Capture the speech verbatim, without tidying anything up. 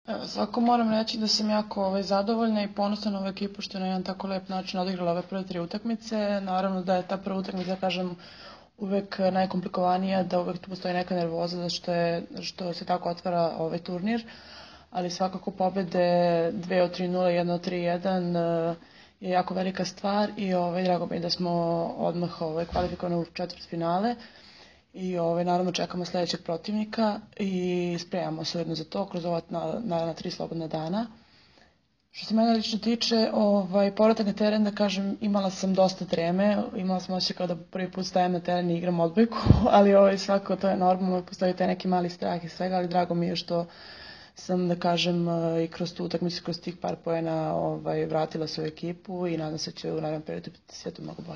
Evo, svako moram reći da sam jako ovaj, zadovoljna i ponosna na ovu ekipu što je na jedan tako lep način odigrala ove prve tri utakmice. Naravno da je ta prva utakmica, da kažem, uvek najkomplikovanija, da uvek tu postoji neka nervoza zato što, je, što se tako otvara ovaj turnir, ali svakako pobede dve od tri nula, jedna od tri jedan je jako velika stvar i ovaj, drago mi je da smo odmah ovaj, kvalifikovani u četvrtfinale. I ovaj, naravno čekamo sledećeg protivnika i spremamo se ujedno za to kroz ova naravno tri slobodna dana. Što se mene lično tiče, ovaj, povratak na teren, da kažem, imala sam dosta treme, imala sam osjećaj kao da prvi put stajem na teren i igram odbojku, ali ovaj, svako to je normalno, postoji taj neki mali strah i svega, ali drago mi je što sam, da kažem, i kroz tu utakmicu, kroz tih par poena ovaj, vratila svoju ekipu i nadam se da će u narednom periodu biti sve to mnogo bolje.